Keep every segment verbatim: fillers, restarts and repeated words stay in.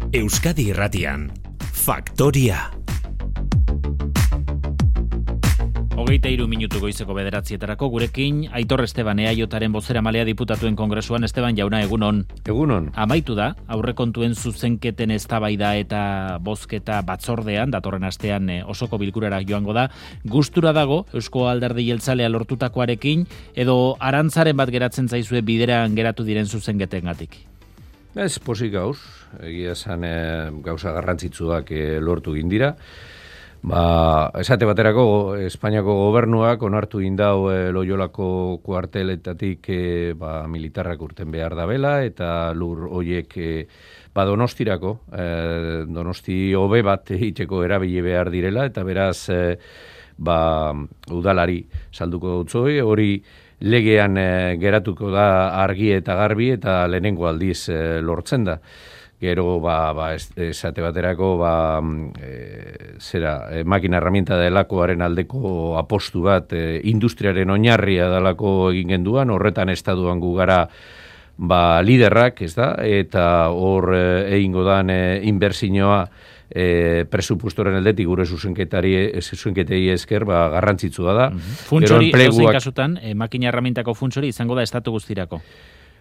Euskadi Irratian, Faktoria. Hogeita hiru minutu goizeko bederatzietarako gurekin Aitor Esteban Eaiotaren bozeramalea diputatuen kongresuan. Esteban jauna, egunon. Egunon. Amaitu da, aurrekontuen zuzenketen eztabaida eta bozketa batzordean, datorren astean osoko bilkurara joango da. Gustura dago Eusko Alderdi Jeltzalea lortutakoarekin, edo arantzaren bat geratzen zaizue bideran geratu diren zuzenketengatik? Ez pozik gauz, egia esan e, gauza garrantzitsuak e, lortu gindira. Ba, esate baterako, Espainiako gobernuak onartu indau e, Loiolako kuarteletatik e, ba, militarrak urten behar dabela, eta lur hoiek e, ba, Donostirako, e, Donosti hobe bat itxeko erabili behar direla, eta beraz e, ba, udalari salduko dutzoi, hori legean e, geratuko da argi eta garbi, eta lehenengo aldiz e, lortzen da. Gero, ba, ba, esate baterako, ba, e, zera, e, makina herramienta delakoaren aldeko apostu bat, e, industriaren oinarria delako egin genduan, horretan estatuan gu gara ba, liderrak, ez da, eta hor e, egingo dan e, inbertsioa e, presupuestoren aldetik gure zuzenketari, zuzenketei esker, ba, garrantzitsua da. Mm-hmm. Funtsori, enpleguak... kasutan, e, makina herramientako funtsori izango da estatu guztirako.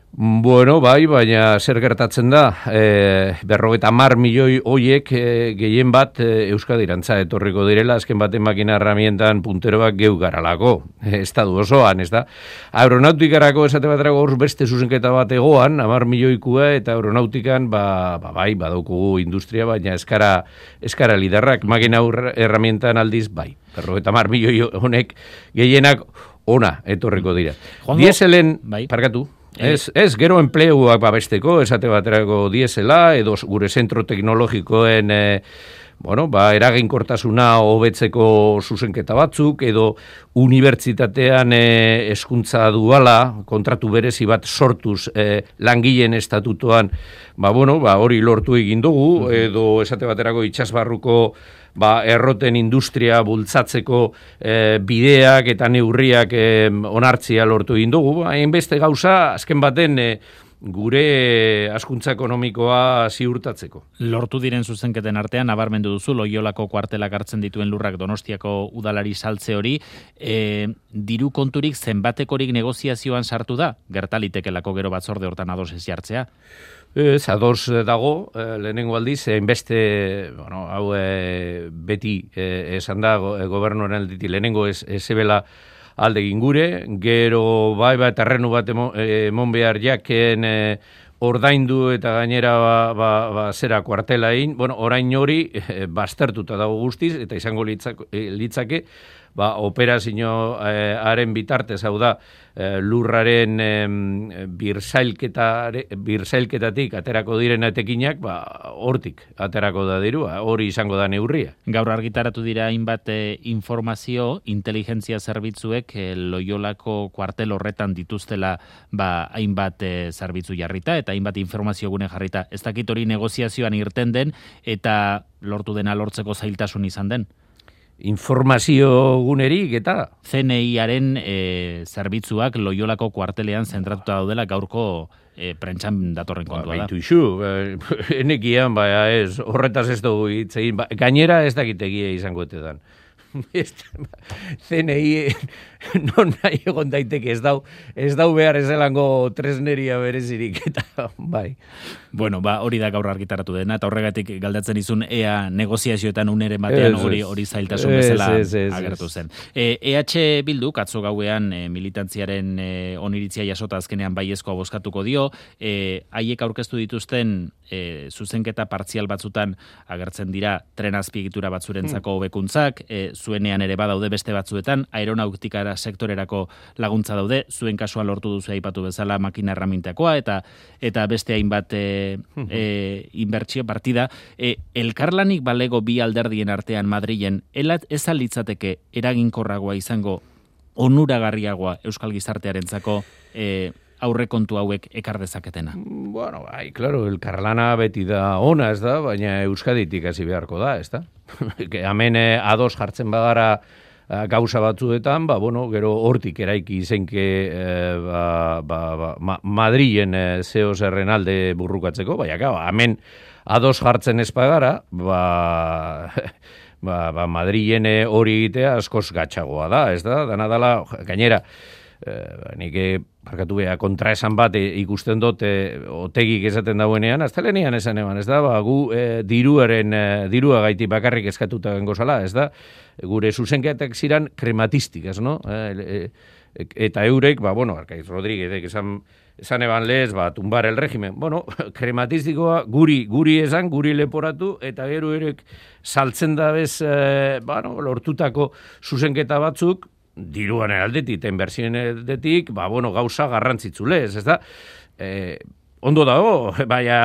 Bueno, bai, baina zer gertatzen da, e, berrogeita hamar milioi hoiek e, gehien bat e, Euskadirantza etorriko direla, azken baten makina herramientan punteroak geu garalako, e, estadu osoan, ez da? Aeronautikarako esate baterako hor beste zuzenketa bat egoan, hamar milioikua, eta aeronautikan, ba, ba bai, badaukugu industria, baina eskara, eskara liderrak, makina herramientan aldiz, bai, berrogeita hamar milioi honek gehienak ona etorriko dira. Juanjo, Dieselen, bai. parkatu, Ez, ez, gero enpleguak babesteko, esate baterako diesela, edo gure zentro teknologikoen, e, bueno, ba, eraginkortasuna hobetzeko zuzenketa batzuk, edo unibertsitatean e, hezkuntza duala, kontratu berezi bat sortuz e, langileen estatutoan, ba, bueno, ba, hori lortu egin dugu, edo esate baterako itsasbarruko ba, erroten industria bultzatzeko e, bideak eta neurriak e, onartzia lortu egin dugu. Hainbeste gauza, azken baten e, gure hazkuntza ekonomikoa ziurtatzeko. Lortu diren zuzenketen artean, nabarmendu duzu, Loiolako kuartelak hartzen dituen lurrak Donostiako udalari saltze hori, e, diru konturik zenbatekorik negoziazioan sartu da? Gertalitekelako gero batzorde hortan ados ez jartzea? Ez, ados dago, eh, lehenengo aldiz, hainbeste, bueno, hau eh, beti eh, esan da go, gobernuaren aldetik lehenengo ez, ez ebela alde gingure, gero bai bat terrenu bat emon, emon behar jaken eh, ordaindu eta gainera ba, ba, ba, zera kuartela egin, bueno, orain hori eh, baztertuta dago guztiz, eta izango litzake, eh, litzake ba, operazio eh, haren bitartez, hau da, eh, lurraren eh, birsailketatik aterako diren etekinak, ba, hortik aterako da dirua, hori izango da neurria. Gaur argitaratu dira hainbat eh, informazio, inteligentzia zerbitzuek eh, Loiolako kuartel horretan dituztela ba, hainbat eh, zerbitzu jarrita, eta hainbat informazio gune jarrita. Ez dakit hori negoziazioan irten den, eta lortu dena lortzeko zailtasun izan den? Informazio gunerik eta C N I-aren e, zerbitzuak Loiolako kuartelean zentratuta daudela gaurko e, prentsan datorren kontua ba, da. Baitu isu, enekian, baina ez, horretaz ez dugu hitzein, ba, gainera ez dakitegia izango etetan. C N I non nahi egon daiteke ez dau, ez dau behar ezelango tresneria berezirik, eta bai. Bueno, ba, hori da gaur argitaratu dena, eta horregatik galdatzen izun ea negoziazioetan uneren batean ez, hori hori zailtasun bezala ez, ez, ez, agertu ez. zen. E, E H Bilduk atzo gauean e, militantziaren e, oniritzia jasota azkenean baiezkoa bozkatuko dio, e, haiek aurkeztu dituzten e, zuzenketa partzial batzutan agertzen dira tren azpiegitura batzurentzako hobekuntzak, e, zuenean ere badaude beste batzuetan, aeronautikara sektorerako laguntza daude, zuen kasuan lortu duzu aipatu bezala makina herramientakoa, eta eta beste hainbat e, e, inbertsio partida. E, elkarlanik balego bi alderdien artean Madrilen, elat ez alitzateke eraginkorragoa izango onuragarriagoa Euskal Gizartearentzako e, aurrekontu hauek ekar dezaketena? Bueno, bai, claro, elkarlana beti da ona, ez da, baina Euskaditik hasi beharko da, ez da? Hemen eh, ados jartzen bagara gauza batzuetan, ba, bueno, gero hortik eraiki izenke e, ba, ba, ba, ma, Madrilen e, zeo zerren alde burrukatzeko, baina, gau, hemen ados jartzen ez pagara, ba, ba, ba Madrilen hori egitea askoz gatxagoa da, ez da, dana dala, gainera, e, nik parkatu beha kontra esan bat e, ikusten dut e, otegik esaten dauenean, aztelenean esan eban, ez da, ba, gu e, diruaren, e, dirua gaiti bakarrik eskatuta gengo zala, ez da, gure zuzenketak ziren krematistikaz, no? E, e, eta eurek, ba, bueno, Arkaiz Rodríguez, esan, esan eban lez, ba, tumbar el regimen. Bueno, krematistikoa guri, guri esan, guri leporatu, eta gero erek saltzen da bez, e, bueno, lortutako zuzenketa batzuk, diruan aldetik, eta inbertsioen aldetik, ba, bueno, gauza garrantzitzulez, ez da? E, ondo dago, baina,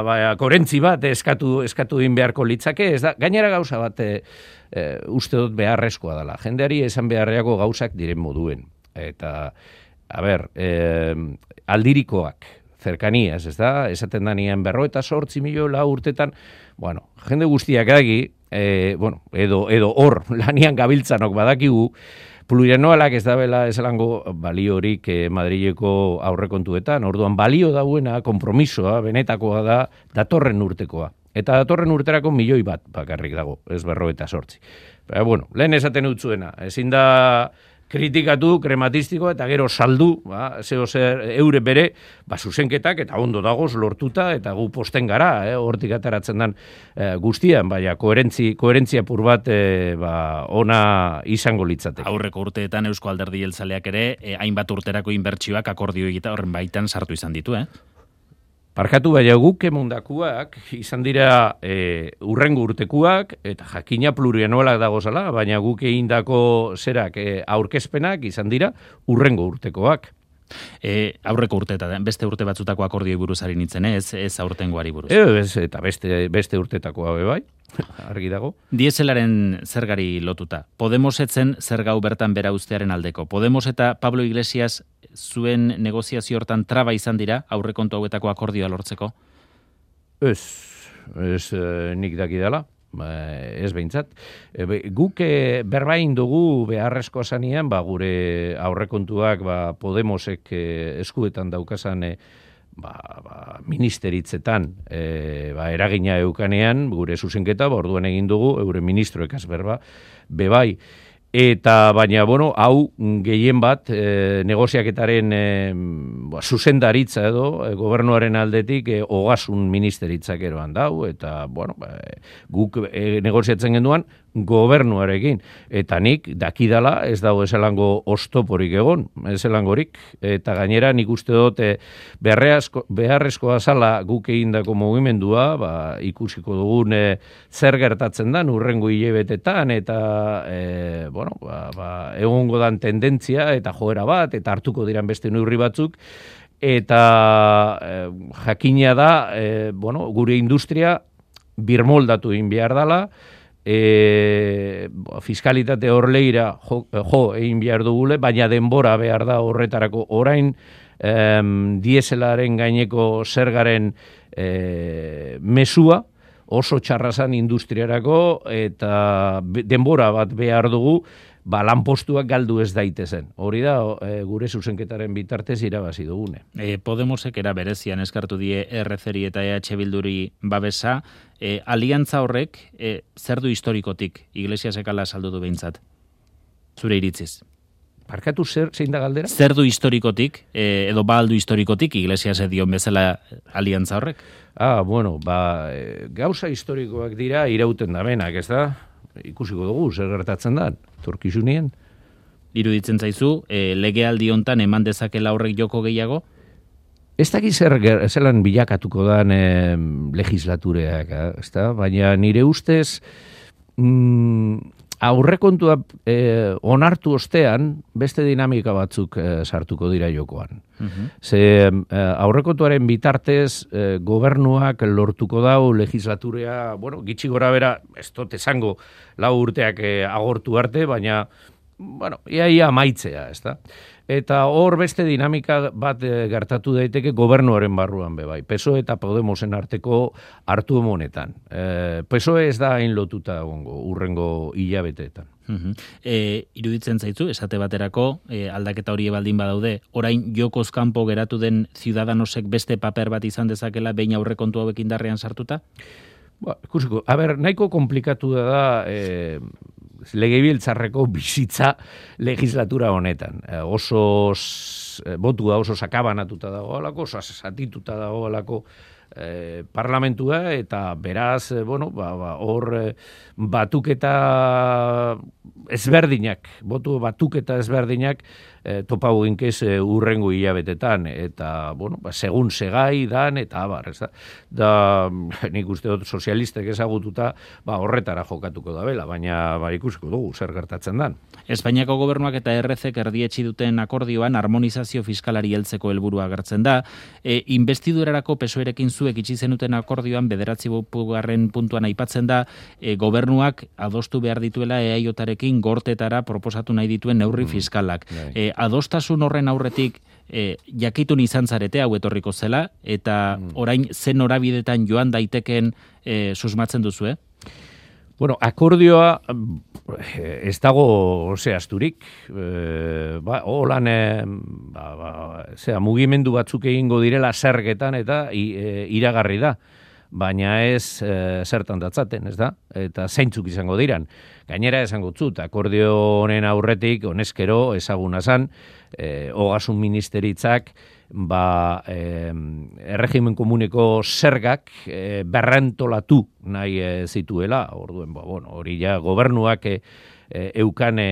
baina korentzi bat eskatu, eskatu din beharko litzake, ez da? Gainera gauza bat e, e, uste dut beharrezkoa dela. Jendeari esan beharreako gauzak diren moduen. Eta, a ber, e, aldirikoak, zerkaniaz, ez da? Esaten da nien berro eta sortzi miliola urtetan, bueno, jende guztiak dagi, e, bueno, edo, edo hor, lanian gabiltzanok badakigu, plurianualak ez dabela esalango baliorik eh, Madrileko aurrekontuetan, orduan balio dauena, konpromisoa, benetakoa da, datorren urtekoa. Eta datorren urterako milioi bat bakarrik dago, ez berro eta sortzi. Pero, bueno, lehen esaten utzuena, ezin da kritikatu, krematistikoa, eta gero saldu, ba, zeo zer eure bere, ba, zuzenketak, eta ondo dagoz lortuta, eta gu posten gara, eh, hortik ataratzen dan eh, guztian, baina koherentzi, koherentzia pur bat eh, ba, ona izango litzateke. Aurreko urteetan Eusko Alderdi Jeltzaleak ere, eh, hainbat urterako inbertsioak akordio egita horren baitan sartu izan ditu, eh? Parkatu baina guk emundakuak izan dira e, urrengo urtekuak eta jakina plurianualak dagozala, baina guk egindako zerak e, aurkezpenak izan dira urrengo urtekoak. E, aurreko urteeta, beste urte batzutako akordioi buruz ari nintzen, ez, ez aurtengoari buruz. E, ez, eta beste, beste urtetakoa be bai, argi dago. Dieselaren zergari lotuta. Podemos etzen zergau bertan bera uztearen aldeko. Podemos eta Pablo Iglesias zuen negoziazio hortan traba izan dira aurrekontu hauetako akordioa lortzeko? Ez, ez eh, nik daki dela. Ez behintzat. E, be, guk e, berbain dugu beharrezko zanean, ba, gure aurrekontuak ba, Podemosek e, eskuetan daukasan e, ba, ba, ministeritzetan e, ba, eragina eukanean, gure zuzenketa, ba, orduan egin dugu, eure ministroekaz berba, bebai. Eta, baina, bueno, hau gehien bat e, negoziaketaren e, ba, zuzendaritza edo e, gobernuaren aldetik e, ogasun ministeritzak eroan dau, eta, bueno, ba, guk e, negoziatzen genduan gobernuarekin. Eta nik dakidala ez dago ezelango ostoporik egon, ezelangorik, eta gainera nik uste dut e, beharrezkoa zala guk egindako mugimendua, ba, ikusiko dugun e, zer gertatzen dan urrengo hilebetetan, eta e, bueno, ba, ba, egongo dan tendentzia eta joera bat, eta hartuko diran beste neurri batzuk, eta e, jakina da, e, bueno, gure industria birmoldatu egin behar dela, e, fiskalitate horleira jo, jo egin behar dugule, baina denbora behar da horretarako orain em, dieselaren gaineko zergaren e, mesua, oso txarrazan industriarako eta denbora bat behar dugu, ba, lanpostuak galdu ez daitezen. Hori da, e, gure zuzenketaren bitartez irabazi dugune. E, Podemosek era berezian eskartu die R C-ri eta E H Bilduri babesa, e, aliantza horrek e, zer du historikotik, Iglesiasek ala saldu du behintzat? Zure iritziz. Parkatu zer, zein da galdera? Zer du historikotik, e, edo ba aldu historikotik, Iglesias edion bezala aliantza horrek? Ah, bueno, ba, e, gauza historikoak dira irauten da benak, ez da? Ikusiko dugu, zer gertatzen da, torkizunien. Iruditzen zaizu, e, legealdi hontan eman dezakela horrek joko gehiago? Ez dakiz zer zelan bilakatuko dan e, legislatureak, ez da? Baina nire ustez, mm, aurrekontua e, onartu ostean, beste dinamika batzuk e, sartuko dira jokoan. Uh-huh. Ze e, aurrekontuaren bitartez e, gobernuak lortuko dau legislaturea, bueno, gitxi gora bera, ez dut esango lau urteak e, agortu arte, baina, bueno, iaia amaitzea, ez da? Eta hor beste dinamika bat e, gertatu daiteke gobernuaren barruan be bai. P S O E eta Podemosen arteko hartu emonetan. E, P S O E ez da hain lotuta egongo urrengo hilabeteetan. Uh-huh. E, iruditzen zaitzu, esate baterako, e, aldaketa hori baldin badaude, orain jokoz kanpo geratu den Ciudadanosek beste paper bat izan dezakela behin aurrekontu hauek indarrean sartuta? Ba, ikusiko, a ber, nahiko komplikatu da da e, legebiltzarreko bizitza legislatura honetan. E, oso e, botua oso sakabanatuta dagoelako, oso satituta dagoelako e, parlamentua, eta beraz, e, bueno, ba, ba, hor e, batuketa ezberdinak, botu batuketa ezberdinak e, topau inkez e, urrengo hilabetetan, eta, bueno, ba, segun segai dan, eta abar, ez da, da nik uste dut sozialistek ezagututa, ba, horretara jokatuko da bela, baina ba, ikusiko dugu, zer gertatzen dan. Espainiako gobernuak eta R Zek erdietsi duten akordioan harmonizazio fiskalari heltzeko helburua agertzen da. E, investidurarako P S O Erekin zuek itxi zenuten akordioan bederatzi garren puntuan aipatzen da e, gobernuak adostu behar dituela E A J-arekin gortetara proposatu nahi dituen neurri fiskalak. Mm, e, adostasun horren aurretik e, jakitun izan zarete hau etorriko zela, eta mm. orain zen norabidetan joan daiteken e, susmatzen duzu, eh? Bueno, akordioa ez dago zehazturik, e, ba, holan e, ba, ba, zera, mugimendu batzuk egingo direla zergetan eta i, e, iragarri da, baina ez e, zertan datzaten, ez da? Eta zeintzuk izango diran. Gainera esango zut, akordio honen aurretik, honezkero, ezaguna zan, e, ogasun ministeritzak, ba, e, erregimen komuneko zergak e, berrentolatu nahi e, zituela, orduen, ba, bueno, hori ja gobernuak e, e, eukan e,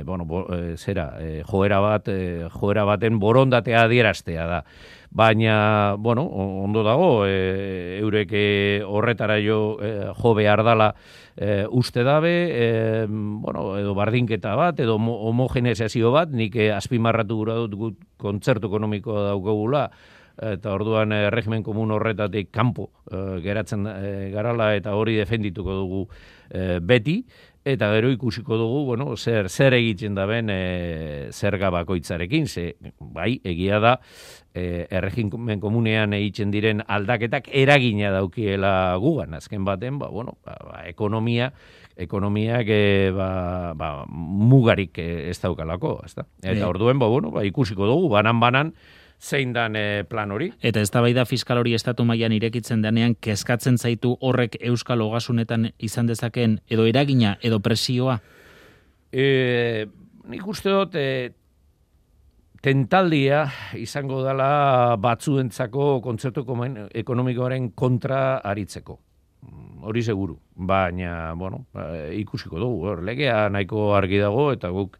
bueno, bo, e, zera, e, joera bat, e, joera baten borondatea adieraztea da. Baina, bueno, ondo dago, e, eurek horretara jo, e, jo behar dala e, uste dabe, e, bueno, edo bardinketa bat, edo homogeneizazio bat, nik e, azpimarratu gura dut gut kontzertu ekonomikoa daukagula, eta orduan e, regimen komun horretatik kanpo e, geratzen e, garala, eta hori defendituko dugu e, beti, eta gero ikusiko dugu, bueno, zer, zer egiten da ben e, zerga bakoitzarekin, ze, bai, egia da, e, erregimen komunean egiten diren aldaketak eragina daukiela gugan, azken baten, ba, bueno, ba, ba, ekonomia, ekonomiak e, ba, ba, mugarik ez daukalako, ezta? Eta orduen, ba, bueno, ba, ikusiko dugu, banan-banan, zein dan e, plan hori. Eta eztabaida fiskal hori estatu mailan irekitzen denean, kezkatzen zaitu horrek euskal ogasunetan izan dezakeen edo eragina edo presioa? E, nik uste dut, e, tentaldia izango dela batzuentzako kontzertu ekonomikoaren kontra aritzeko. Hori seguru. Baina, bueno, ikusiko dugu. Legea nahiko argi dago eta guk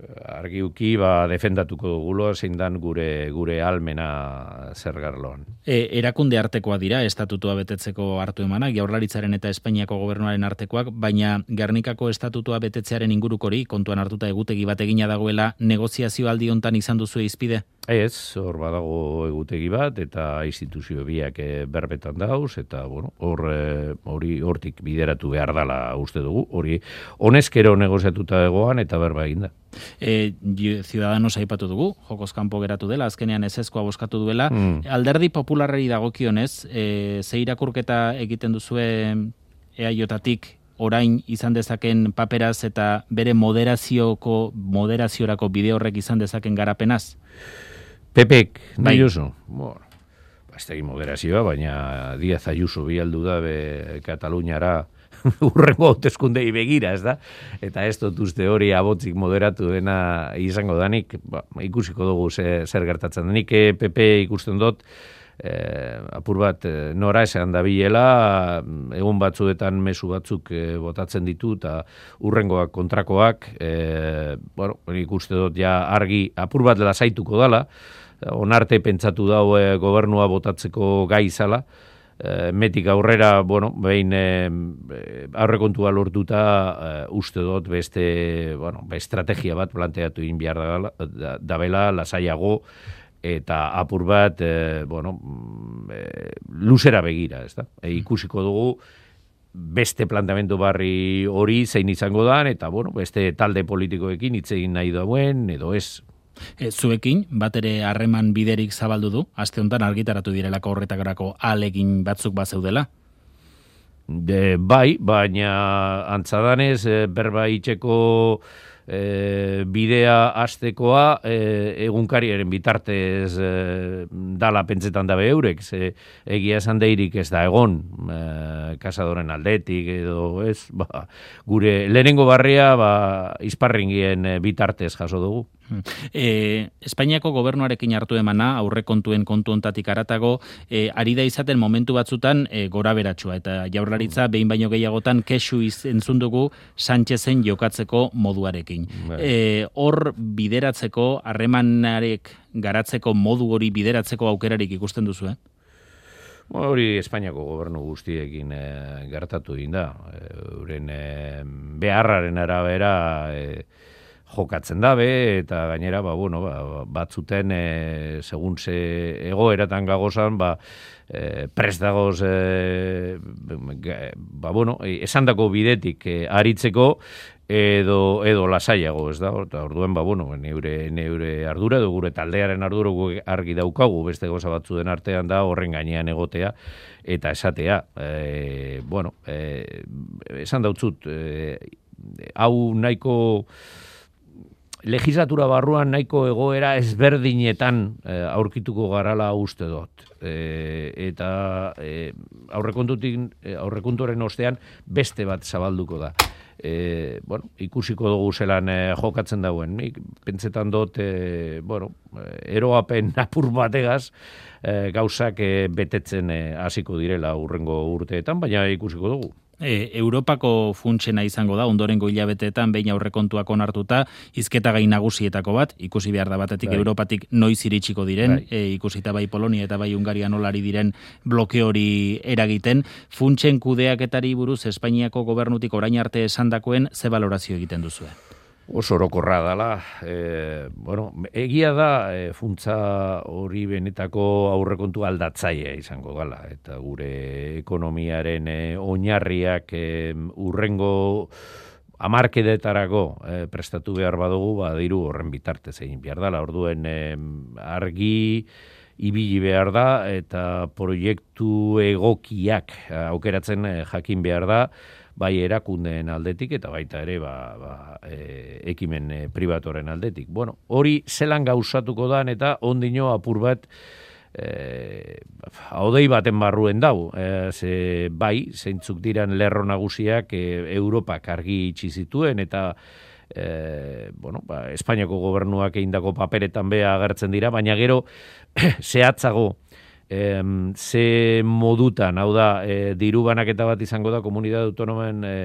argiuki ba defendatuko dugulo zein dan gure gure almena zergarloan. E, erakunde artekoa dira estatutua betetzeko hartu emanak, Jaurlaritzaren eta Espainiako gobernuaren artekoak, baina Gernikako estatutua betetzearen ingurukori kontuan hartuta egutegi bat egina dagoela, negoziazio aldi hontan izan duzu izpide? Ez, hor badago egutegi bat eta instituzio biak e, berbetan dauz eta bueno, hor hori hortik bideratu behar dala uste dugu. Hori honezkero negoziatuta egoan eta berba eginda. E, Ciudadanos aipatu dugu, jokoz kanpo geratu dela, azkenean ezezkoa bozkatu duela. Mm. Alderdi popularrei dagokionez, e, ze irakurketa egiten duzue E A J-atik orain izan dezaken paperaz eta bere moderazioko, moderaziorako bide horrek izan dezaken garapenaz? Pepek, nahi oso. Bueno, ez da moderazioa, baina Díaz Ayuso bialdu da be Kataluniara urrengo hauteskundei begira, ez da? Eta ez dut uste hori abotzik moderatu dena izango danik, ba, ikusiko dugu ze, zer gertatzen. Nik P P ikusten dut, eh, apur bat eh, nora esan da bilela, egun batzuetan mezu batzuk eh, botatzen ditu, eta urrengoak kontrakoak, eh, bueno, ikuste dut ja argi apur bat lasaituko dala, onarte pentsatu dau eh, gobernua botatzeko gai izala, metik aurrera, bueno, behin e, aurrekontua lortuta e, uste dut beste, bueno, estrategia bat planteatu egin behar da, da, dabela, lasaiago, eta apur bat, e, bueno, e, luzera begira, ez da? E, ikusiko dugu beste planteamendu barri hori zein izango da, eta, bueno, beste talde politikoekin hitz egin nahi dauen, edo ez. E, zuekin, bat ere harreman biderik zabaldu du, aste honetan argitaratu direlako horretakarako alegin batzuk bazeudela? De, bai, baina antzadanez e, berba itxeko e, bidea hastekoa e, egunkariaren bitartez e, dala pentsetan dabe eurek, ze egia esan deirik ez da egon e, kasadoren aldetik edo ez, ba, gure lehenengo barria ba, izparringien bitartez jaso dugu. E, Espainiako gobernuarekin hartu emana, aurrekontuen kontu ontatik aratago, e, ari da izaten momentu batzutan e, gora beratsua, eta Jaurlaritza behin baino gehiagotan kexu entzun dugu Sánchezen jokatzeko moduarekin. E, hor bideratzeko, harremanarek garatzeko modu hori bideratzeko aukerarik ikusten duzu, eh? Hori Espainiako gobernu guztiekin e, gertatu egin da. Euren e, beharraren arabera e, jokatzen dabe, eta gainera, ba, bueno, ba, batzuten, e, segun ze egoeratan gagozan, ba, e, prest dagoz, e, ba, bueno, esandako bidetik e, aritzeko, edo, edo lasaiago, ez da, eta orduen, ba, bueno, neure, neure ardura, edo gure taldearen ardura argi daukagu, beste goza batzuen artean da, horren gainean egotea, eta esatea, e, bueno, e, esan dautzut, e, hau nahiko legislatura barruan nahiko egoera ezberdinetan e, aurkituko garala uste dut. E, eta e, aurrekontutik, aurrekontuaren ostean beste bat zabalduko da. E, bueno, ikusiko dugu zelan e, jokatzen dauen. Nik pentsetan dut, e, bueno, eroapen apur bategaz e, gauzak e, betetzen hasiko e, direla urrengo urteetan, baina ikusiko dugu. E, Europako funtsena izango da, ondorengo hilabeteetan behin aurrekontuak onartuta, hizketa gai nagusietako bat, ikusi behar da batetik bai. Europatik noiz iritsiko diren, bai. e, ikusita bai Polonia eta bai Hungaria nolari diren bloke hori eragiten, funtsen kudeaketari buruz Espainiako gobernutik orain arte esandakoen ze balorazio egiten duzue? Oso orokorra dala, e, bueno, egia da e, funtsa hori benetako aurrekontu aldatzaile izango gala, eta gure ekonomiaren e, oinarriak e, urrengo hamarkedetarako e, prestatu behar badugu, ba, diru horren bitartez egin behar dala, orduen e, argi ibili behar da, eta proiektu egokiak aukeratzen e, jakin behar da, bai erakundeen aldetik eta baita ere ba, ba, e, ekimen e, pribatoren aldetik. Bueno, hori zelan gauzatuko dan eta ondino apur bat e, haudei baten barruen dau. E, ze, bai, zeintzuk diran lerro nagusiak e, Europak argi itxi zituen eta e, bueno, ba, Espainiako gobernuak egindako paperetan bea agertzen dira, baina gero zehatzago E, ze modutan, hau da, e, diru banaketa bat izango da komunitate autonomen e,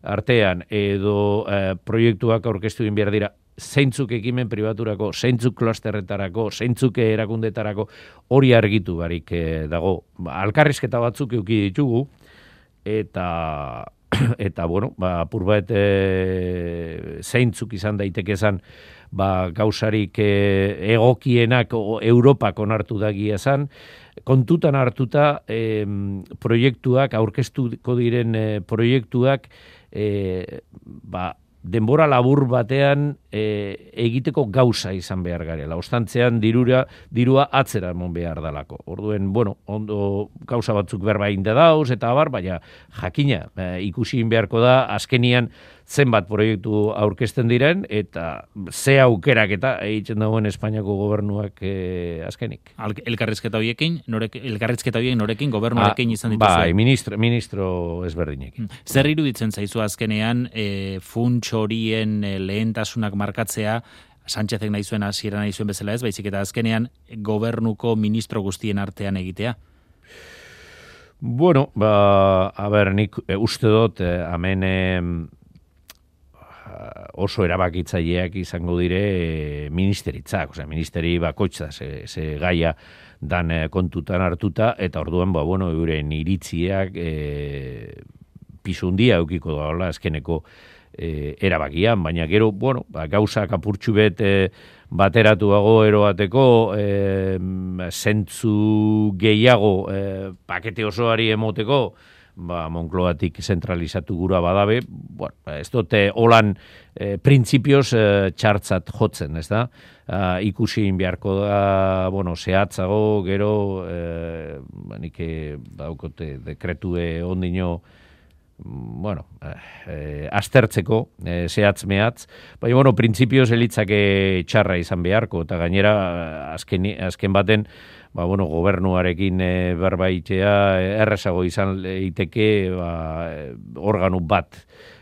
artean, edo e, proiektuak aurkeztu egin behar dira, zeintzuk ekimen pribaturako, zeintzuk klasterretarako, zeintzuk erakundetarako, hori argitu barik e, dago. Ba, alkarrizketa batzuk euki ditugu, eta, eta bueno, ba, apur bat e, zeintzuk izan daiteke esan, ba, gauzarik e, egokienak o, Europak onartu dagia esan, kontutan hartuta e, proiektuak, aurkeztuko diren e, proiektuak, e, ba, denbora labur batean e, egiteko gauza izan behar garela. Ostantzean dirura, dirua atzera emon behar dalako. Orduen, bueno, ondo gauza batzuk berba inda dauz, eta abar, baina jakina, e, ikusi beharko da, azkenian zenbat proiektu aurkezten diren, eta ze aukerak eta egiten dagoen Espainiako gobernuak e, azkenik. Elkarrizketa horiekin, norek, elkarrizketa horiekin norekin gobernuarekin izan dituzu? Bai, ministro, ministro ezberdinekin. Zer iruditzen zaizu azkenean e, funts horien e, lehentasunak markatzea, Sánchezek nahi zuen, hasiera nahi zuen bezala ez, baizik eta azkenean gobernuko ministro guztien artean egitea? Bueno, ba, a ber, nik e, uste dut, e, amen e, oso erabakitzaileak izango dire e, ministeritzak, osea, ministeri bakoitza, ze, ze gaia dan e, kontutan hartuta, eta orduan, ba, bueno, euren iritziak e, pisundia eukiko daola azkeneko e, erabakian, baina gero, bueno, ba, gauzak apurtxu bet e, bateratuago eroateko e, zentzu gehiago e, pakete osoari emoteko, ba, Moncloatik zentralizatu gura badabe, bueno, ez dute holan e, printzipioz e, txartzat jotzen, ez da? Uh, ikusi beharko da, bueno, zehatzago, gero, e, nik daukote dekretue ondino, bueno, eh, aztertzeko, eh, zehatz mehatz, baina, bueno, printzipioz elitzake txarra izan beharko, eta gainera, azken, azken baten, ba, bueno, gobernuarekin e, berbaitea errezago izan leiteke, ba, organu bat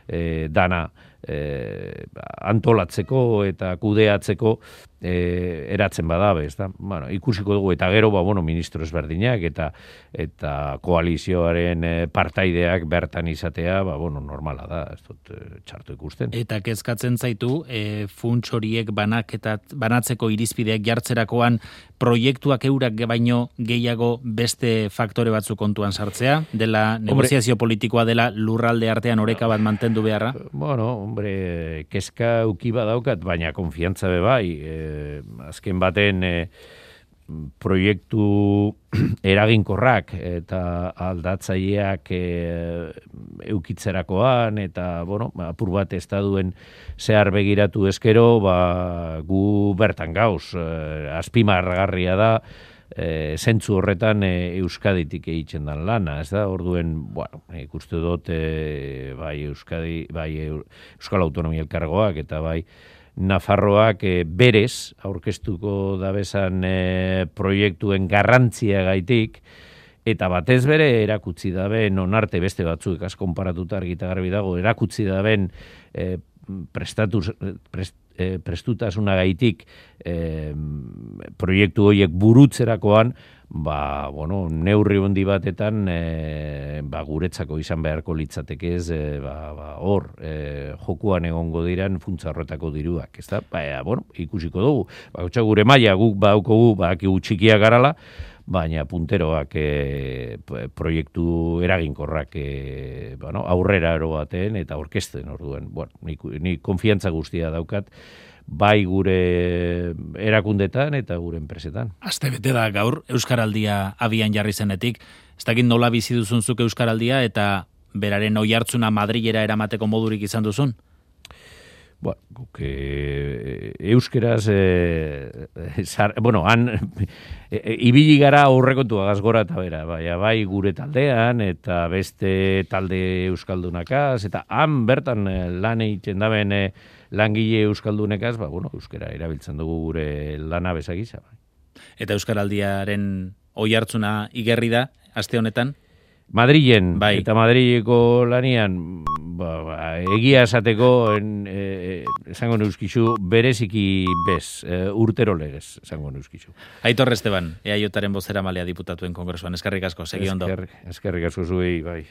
e, dana e, antolatzeko eta kudeatzeko e, eratzen badabe, ez da? Bueno, ikusiko dugu, eta gero, ba, bueno, ministro ezberdinak eta eta koalizioaren e, partaideak bertan izatea, ba, bueno, normala da, ez dut e, txarto ikusten. Eta kezkatzen zaitu, e, funts horiek banaketat, banatzeko irizpideak jartzerakoan proiektuak eurak baino gehiago beste faktore batzu kontuan sartzea, dela negoziazio hombre, politikoa dela lurralde artean oreka bat mantendu beharra? Bueno, hombre, kezka uki badaukat, baina konfiantza be bai, e, azken baten e, proiektu eraginkorrak eta aldatzaileak e, eukitzerakoan eta, bueno, apur bat ez da duen zehar begiratu ezkero, ba, gu bertan gauz, e, azpimarragarria da, e, zentzu horretan e, Euskaditik egiten dan lana, ez da, orduen, bueno, ikuste dut, e, bai Euskadi, bai Euskal Autonomia Elkargoak eta bai Nafarroak e, berez aurkeztuko dabezan e, proiektuen garrantzia gaitik, eta batez bere erakutsi dabe, non arte beste batzuk az konparatuta argita garbi dago, erakutsi daben e, prestatuz, prest, e, prestutasuna gaitik e, proiektu horiek burutzerakoan, ba, bueno, neurri hondi batetan e, ba, guretzako izan beharko litzateke ez, e, ba, ba, hor, e, jokuan egongo diran funtsa horretako diruak, ez da? Ba, e, bueno, ikusiko dugu. Ba, gure maila guk baukogu, ba, txikia garala, baina punteroak e, proiektu eraginkorrak e, bueno, aurrera ero baten eta orkesten orduen. Bueno, ni, ni konfiantza guztia daukat, bai gure erakundetan eta gure enpresetan. Aste bete da gaur Euskaraldia abian jarri zenetik. Ez dakit nola bizi duzunzuk Euskaraldia eta beraren oihartzuna Madrilera eramateko modurik izan duzun? Bueno, guk e, euskeraz, e, zar, bueno, han e, ibili gara aurrekontua gazgora eta bera, bai, bai gure taldean eta beste talde euskaldunakaz, eta han bertan lan egiten daben e, langile euskaldunekaz, ba, bueno, euskera erabiltzen dugu gure lana bezagisa. Bai. Eta Euskaraldiaren oihartzuna igerri da, aste honetan? Madrilen, bai. Eta Madrileko lanian, ba, ba, egia esateko, en, e, esango neuskizu, bereziki bez, e, urtero legez, esango neuskizu. Aitor Esteban, E A Jaren bozera malea diputatuen kongresuan, eskerrik asko, segi ondo. Eskerrik asko zuei, bai.